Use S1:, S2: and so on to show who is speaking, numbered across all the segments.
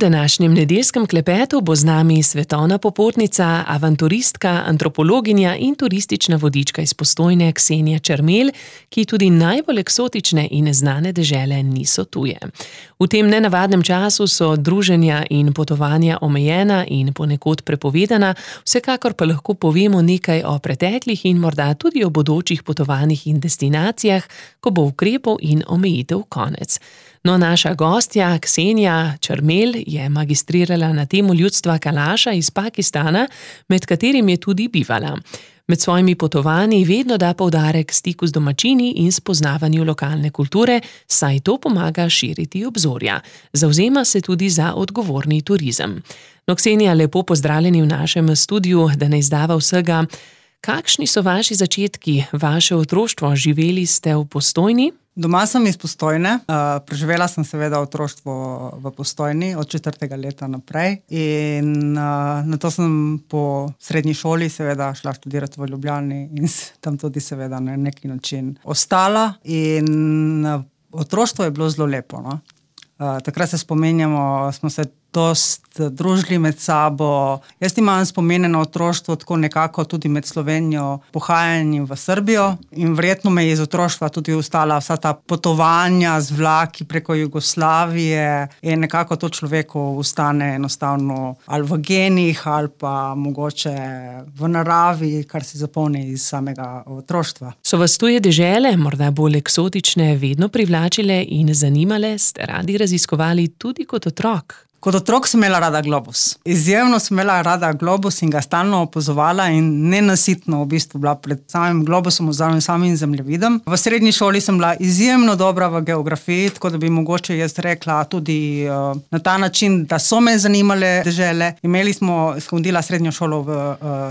S1: današnjem nedeljskem klepetu bo z nami svetovna popotnica, avanturistka, antropologinja in turistična vodička iz Postojne Ksenija Čermelj, ki tudi najbolj eksotične in neznane dežele niso tuje. V tem nenavadnem času so druženja in potovanja omejena in ponekod prepovedana, vsekakor pa lahko povemo nekaj o preteklih in morda tudi o bodočih potovanjih in destinacijah, ko bo ukrepov in omejitev konec. No, naša gostja Ksenija Čermelj je magistrirala na temo ljudstva Kalaša iz Pakistana, med katerim je tudi bivala. Med svojimi potovanji vedno da poudarek stiku z domačini in spoznavanju lokalne kulture, saj to pomaga širiti obzorja. Zavzema se tudi za odgovorni turizem. No, Ksenija, lepo pozdravljeni v našem studiu, da ne izdava vsega. Kakšni so vaši začetki, vaše otroštvo? Živeli ste v Postojni?
S2: Doma sem iz Postojne, preživela sem seveda otroštvo v Postojni od 4. leta naprej in nato sem po srednji šoli seveda šla študirati v Ljubljani in tam tudi seveda na neki način ostala in otroštvo je bilo zelo lepo. No? Takrat se spominjamo, smo se dost družili med sabo. Jaz imam spomine na otroštvo tako nekako tudi med Slovenijo, pohajanjem v Srbijo in verjetno me je iz otroštva tudi ostala vsa ta potovanja z vlaki preko Jugoslavije in nekako to človeku ostane enostavno ali v genih ali pa mogoče v naravi, kar si zapomni iz samega otroštva.
S1: So vas tuje dežele, morda bolj eksotične, vedno privlačile in zanimale? Ste radi raziskovali tudi kot otrok?
S2: Kot otrok sem imela rada globus. Izjemno sem imela rada globus in ga stalno opazovala in nenasitno v bistvu bila pred samim globusom oziroma samim zemljevidom. V srednji šoli sem bila izjemno dobra v geografiji, tako da bi mogoče jaz rekla tudi na ta način, da so me zanimale dežele. Sem hodila srednjo šolo v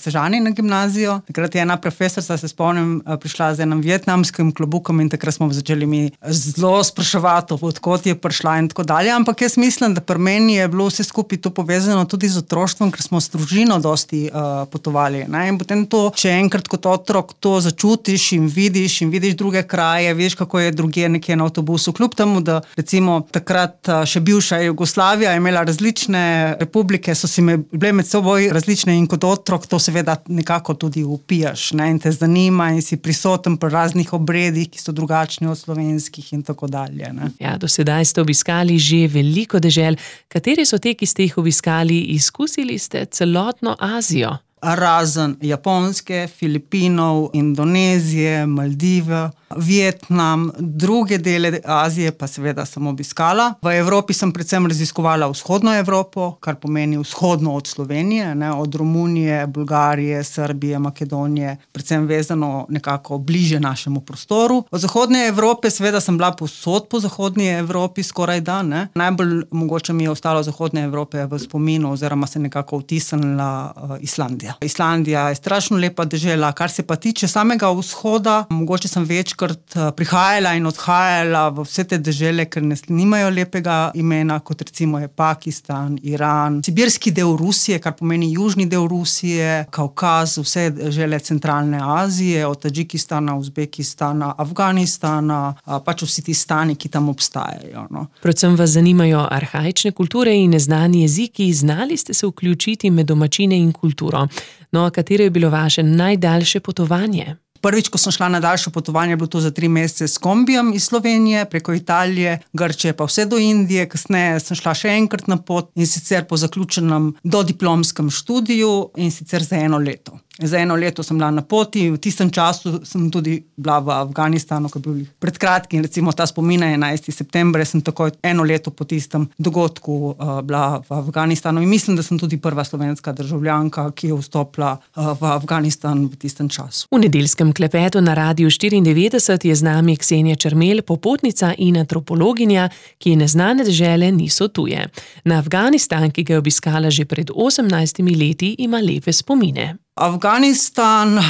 S2: Sežani na gimnazijo. Takrat je ena profesorica, se spomnim, prišla z enim vietnamskim klobukom in takrat smo začeli mi zelo spraševati, odkot je prišla in tako dalje. Ampak jaz mislim, da pri meni je bilo vse skupaj to povezano tudi z otroštvom, ker smo s družino dosti potovali. Ne? In potem to, če enkrat kot otrok to začutiš in vidiš druge kraje, veš, kako je drugje nekje na avtobusu. Kljub temu, da recimo takrat še bivša Jugoslavija je imela različne republike, so si bile med seboj različne in kot otrok to seveda nekako tudi upijaš. Ne? In te zanima in si prisoten pri raznih obredih, ki so drugačni od slovenskih in tako dalje. Ne?
S1: Ja, do sedaj ste obiskali že veliko dežel. Kateri so te, ki ste jih obiskali? Izkusili ste celotno Azijo?
S2: Razen Japonske, Filipinov, Indonezije, Maldive, Vietnam, druge dele Azije pa seveda sem obiskala. V Evropi sem predvsem raziskovala vzhodno Evropo, kar pomeni vzhodno od Slovenije, ne, od Romunije, Bolgarije, Srbije, Makedonije, predvsem vezano nekako bliže našemu prostoru. Od zahodne Evrope seveda sem bila povsod po zahodni Evropi skoraj da, ne. Najbolj mogoče mi je ostalo zahodne Evrope v spominu oziroma se nekako vtisnila Islandija. Islandija je strašno lepa dežela, kar se pa tiče samega vzhoda, mogoče sem večkrat prihajala in odhajala v vse te dežele, ker nimajo lepega imena, kot recimo je Pakistan, Iran, sibirski del Rusije, kar pomeni južni del Rusije, Kaukaz, vse dežele centralne Azije, od Tadžikistana, Uzbekistana, Afganistana, pač vsi ti stani, ki tam obstajajo. No.
S1: Predvsem vas zanimajo arhaične kulture in neznani jeziki, znali ste se vključiti med domačine in kulturo. No, katero je bilo vaše najdaljše potovanje?
S2: Prvič, ko sem šla na daljše potovanje, je bilo to za 3 mesece s kombijem iz Slovenije, preko Italije, Grčije pa vse do Indije. Kasneje sem šla še enkrat na pot in sicer po zaključenem dodiplomskem študiju in sicer za 1 leto. Za 1 leto sem bila na poti, v tistem času sem tudi bila v Afganistanu, ko je bil pred kratkim, recimo ta spomina 11. september, sem takoj 1 leto po tistem dogodku bila v Afganistanu in mislim, da sem tudi prva slovenska državljanka, ki je vstopila v Afganistan v tistem času.
S1: V nedeljskem klepetu na Radiu 94 je z nami Ksenija Čermelj, popotnica in antropologinja, ki neznane dežele niso tuje. Na Afganistan, ki ga je obiskala že pred 18 leti, ima lepe spomine.
S2: Afganistan,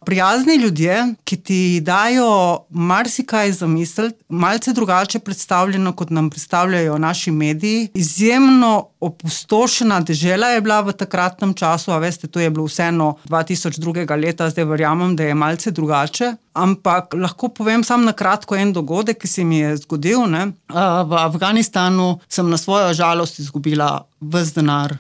S2: prijazni ljudje, ki ti dajo marsikaj za misliti, malce drugače predstavljeno, kot nam predstavljajo naši mediji. Izjemno opustošena dežela je bila v takratnem času, a veste, to je bilo vseeno 2002. leta, zdaj verjamem, da je malce drugače. ampak lahko povem samo na kratko en dogodek, ki se mi je zgodil. V Afganistanu sem na svojo žalost izgubila ves denar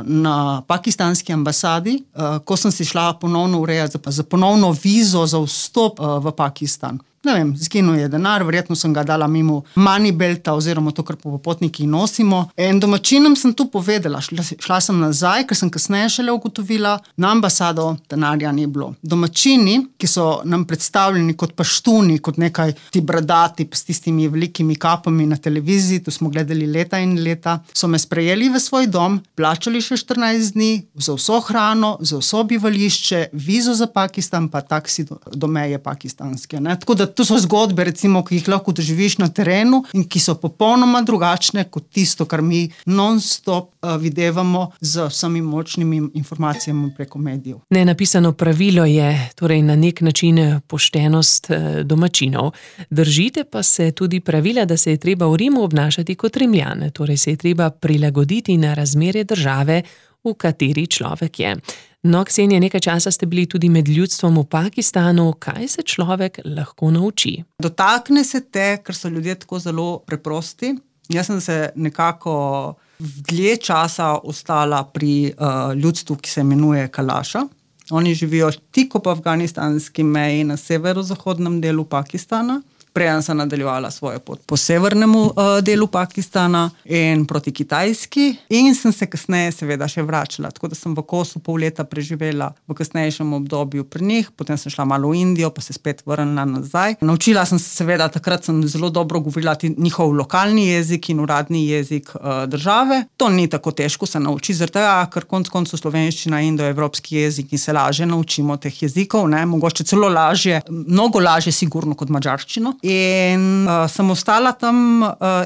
S2: na pakistanski ambasadi, ko sem si šla ponovno urejati za ponovno vizo za vstop v Pakistan. Ne vem, zginil je denar, verjetno sem ga dala mimo moneybelta oziroma to, kar popotniki nosimo. In domačinom sem tu povedala, šla sem nazaj, ker sem kasneje šele ugotovila, na ambasado denarja ni bilo. Domačini, ki so nam predstavljeni kot paštuni, kot nekaj ti bradati s tistimi velikimi kapami na televiziji, tu smo gledali leta in leta, so me sprejeli v svoj dom, plačali še 14 dni, za vso hrano, za vso bivališče, vizo za Pakistan, pa taksi do meje pakistanske. Tako da to so zgodbe, recimo, ki jih lahko doživiš na terenu in ki so popolnoma drugačne kot tisto, kar mi non-stop videvamo z vsemi močnimi informacijami preko medijev.
S1: Nenapisano pravilo je torej na nek način poštenost domačinov. Držite pa se tudi pravila, da se je treba v Rimu obnašati kot Rimljan, torej se je treba prilagoditi na razmere države, v kateri človek je. No, Ksenija, nekaj časa ste bili tudi med ljudstvom v Pakistanu. Kaj se človek lahko nauči?
S2: Dotakne se te, ker so ljudje tako zelo preprosti. Jaz sem se nekako dlje časa ostala pri ljudstvu, ki se imenuje Kalaša. Oni živijo tik ob afganistanski meji na severozahodnem delu Pakistana. Preden sem nadaljevala svojo pot po severnemu delu Pakistana in proti Kitajski, in sem se kasneje seveda še vračala. Tako da sem v Kosu pol leta preživela v kasnejšem obdobju pri njih, potem sem šla malo v Indijo, pa se spet vrnila nazaj. Naučila sem se seveda, takrat sem zelo dobro govorila njihov lokalni jezik in uradni jezik države. To ni tako težko se nauči, zaradi tega, ker konec koncev slovenščina je indoevropski jezik in se lažje naučimo teh jezikov, mogoče celo lažje, mnogo lažje sigurno kot madžarščino. In sem ostala tam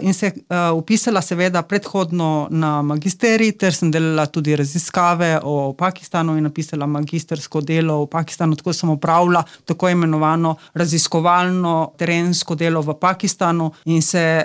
S2: in se upisala seveda predhodno na magisterij, ter sem delala tudi raziskave o Pakistanu in napisala magistersko delo o Pakistanu, tako sem opravila tako imenovano raziskovalno terensko delo v Pakistanu in se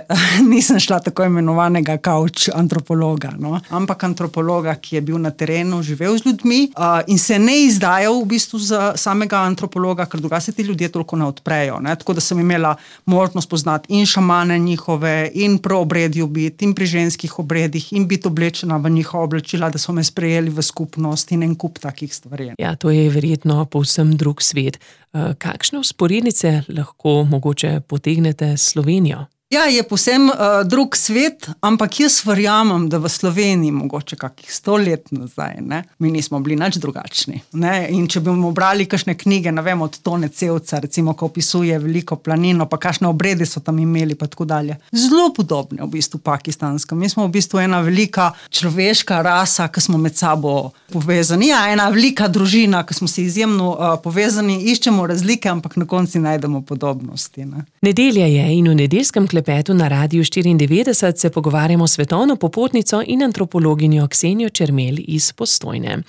S2: nisem šla tako imenovanega couch antropologa, ampak antropologa, ki je bil na terenu, živel z ljudmi in se ne izdajal v bistvu za samega antropologa, ker drugače se ti ljudje toliko ne odprejo. Tako da sem imela možnost poznati in šamane njihove, in pri obredju biti, in pri ženskih obredih, in biti oblečena v njihova oblačila, da so me sprejeli v skupnost in en kup takih stvari.
S1: Ja, to je verjetno povsem drug svet. Kakšne vzporednice lahko mogoče potegnete s Slovenijo?
S2: Ja, je povsem drug svet, ampak jaz verjamem, da v Sloveniji mogoče kakih 100 let nazaj, mi nismo bili nič drugačni. In če bomo brali kakšne knjige, ne vem, od Tone Cevca, recimo, ko opisuje veliko planino, pa kakšne obrede so tam imeli, pa tako dalje. Zelo podobne v bistvu pakistansko. Mi smo v bistvu ena velika človeška rasa, ki smo med sabo povezani. Ja, ena velika družina, ki smo si izjemno povezani, iščemo razlike, ampak na koncu najdemo podobnosti.
S1: Nedelja je in v nedeljskem klepetu na Radiu 94 se pogovarjamo s svetovno popotnico in antropologinjo Ksenijo Čermelj iz Postojne.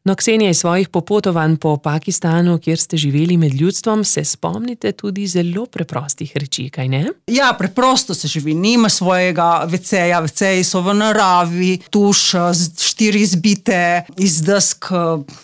S1: No, Ksenija, iz svojih popotovanj po Pakistanu, kjer ste živeli med ljudstvom, se spomnite tudi zelo preprostih reči, kaj ne?
S2: Ja, preprosto se živi, nima svojega veceja, veceji so v naravi, tuš, 4 zbite iz desk,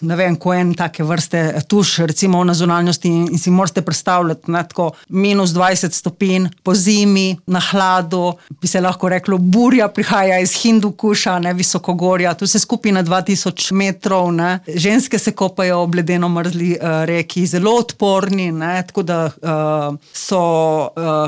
S2: ne vem, ko en take vrste tuš, recimo na zunanjosti in si morate predstavljati, tako -20 stopinj po zimi, na hladu, bi se lahko reklo, burja prihaja iz Hindukuša, visokogorja, tu se skupi na 2000 metrov, ženske se kopajo ob ledeno mrzli reki, zelo odporni, tako da so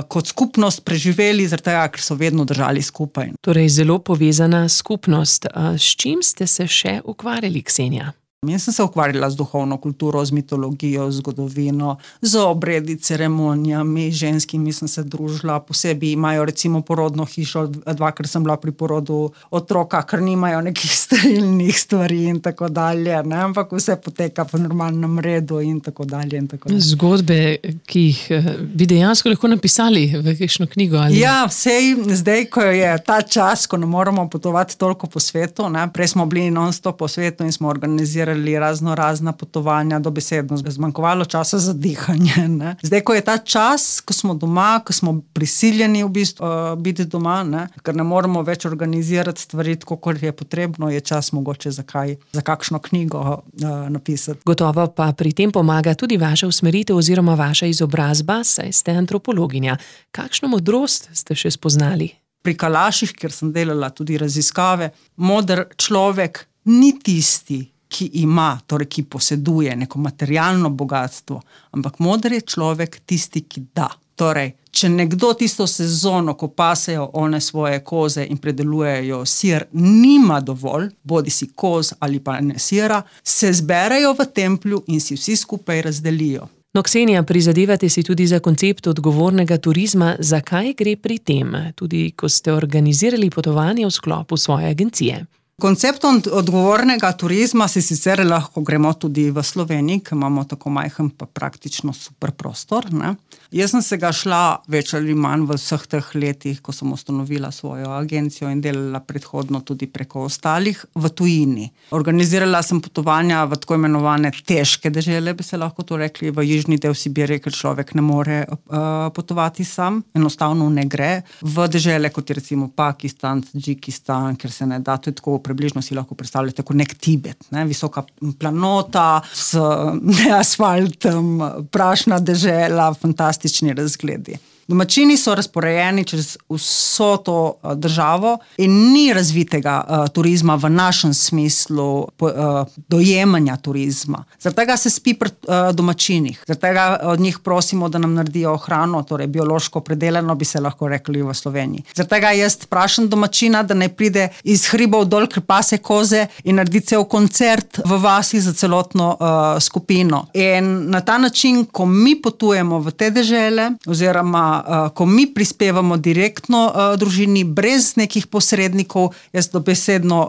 S2: kot skupnost preživeli, zaradi tega, ker so vedno držali skupaj.
S1: Torej zelo povezana skupnost. S čim ste se še ukvarjali, Ksenija?
S2: Jaz sem se ukvarjala z duhovno kulturo, z mitologijo, zgodovino, z obredi, ceremonijami, ženskimi sem se družila, posebej imajo recimo porodno hišo, 2-krat sem bila pri porodu otroka, ker nimajo nekih sterilnih stvari in tako dalje, ampak vse poteka po normalnem redu in tako dalje.
S1: Zgodbe, ki jih bi dejansko lahko napisali v kakšno knjigo? Ali?
S2: Ja, sej zdaj, ko je ta čas, ko ne moramo potovati toliko po svetu, prej smo bili non-stop po svetu in smo organizirali organizirali razna potovanja, dobesedno zmanjkovalo časa za dihanje. Ne? Zdaj, ko je ta čas, ko smo doma, ko smo prisiljeni v bistvu biti doma, ne? Ker ne moremo več organizirati stvari, tako kot je potrebno, je čas mogoče za kakšno knjigo napisati.
S1: Gotovo pa pri tem pomaga tudi vaša usmeritev oziroma vaša izobrazba, saj ste antropologinja. Kakšno modrost ste še spoznali?
S2: Pri Kalaših, kjer sem delala tudi raziskave, moder človek ni tisti, ki ima, torej ki poseduje neko materialno bogatstvo, ampak moder je človek tisti, ki da. Torej, če nekdo tisto sezono, ko pasejo one svoje koze in predelujejo sir, nima dovolj, bodi si koz ali pa ne sira, se zberejo v templju in si vsi skupaj razdelijo.
S1: No, Ksenija, prizadevate si tudi za koncept odgovornega turizma. Zakaj gre pri tem, tudi ko ste organizirali potovanje v sklopu svoje agencije?
S2: Koncept odgovornega turizma si sicer lahko gremo tudi v Sloveniji, ker imamo tako majhen pa praktično super prostor. Ne? Jaz sem se ga šla več ali manj v vseh teh letih, ko sem ustanovila svojo agencijo in delala predhodno tudi preko ostalih v tujini. Organizirala sem potovanja v tako imenovane težke dežele, bi se lahko to rekli, v južni del Sibirije, ker človek ne more potovati sam, enostavno ne gre. V dežele, kot je recimo Pakistan, Tadžikistan, ker se ne da, to je tako približno si lahko predstavljate kot nek Tibet, ne? Visoka planota s asfaltom, prašna dežela, fantastični razgledi. Domačini so razporejeni čez vso to državo in ni razvitega turizma v našem smislu dojemanja turizma. Zaradi tega se spi pri domačinih. Zaradi tega od njih prosimo, da nam naredijo hrano, torej biološko predelano, bi se lahko rekli v Sloveniji. Zaradi tega jaz vprašam domačina, da naj pride iz hribov dol, ker pase koze in naredi cel koncert v vasi za celotno skupino. In na ta način, ko mi potujemo v te dežele, oziroma ko mi prispevamo direktno družini, brez nekih posrednikov, jaz dobesedno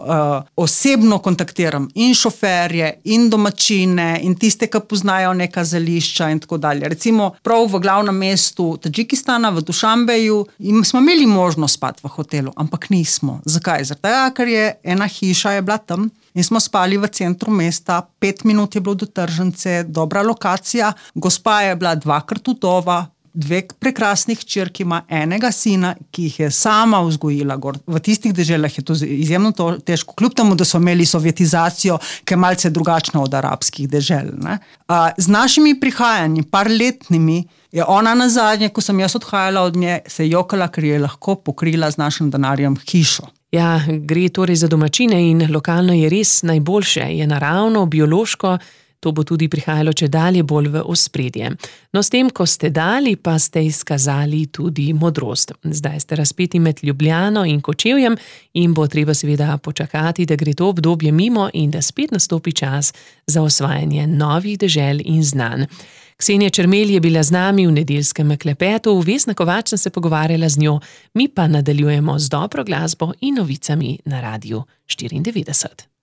S2: osebno kontaktiram in šoferje, in domačine, in tiste, ki poznajo neka zelišča in tako dalje. Recimo, prav v glavnem mestu Tadžikistana, v Dušanbeju, smo imeli možnost spati v hotelu, ampak nismo. Zakaj? Zato, ker je ena hiša je bila tam in smo spali v centru mesta, 5 minut je bilo do tržnice, dobra lokacija, gospa je bila 2krat vdova, 2 prekrasnih hčerk ima, enega sina, ki jih je sama vzgojila gor. V tistih deželah je to izjemno težko, kljub temu, da so imeli sovjetizacijo, ki je malce drugačna od arabskih dežel. Ne? Z našimi prihajanji, parletnimi, je ona nazadnje, ko sem jaz odhajala od nje, se jokala, ker je lahko pokrila z našim denarjem hišo.
S1: Ja, gre torej za domačine in lokalno je res najboljše, je naravno, biološko. To bo tudi prihajalo čedalje bolj v ospredje. No, s tem, ko ste dali, pa ste izkazali tudi modrost. Zdaj ste razpeti med Ljubljano in Kočevjem in bo treba seveda počakati, da gre to obdobje mimo in da spet nastopi čas za osvajanje novih dežel in znanj. Ksenija Čermelj je bila z nami v nedeljskem klepetu, Vesna Kovač sem se pogovarjala z njo, mi pa nadaljujemo z dobro glasbo in novicami na Radiu 94.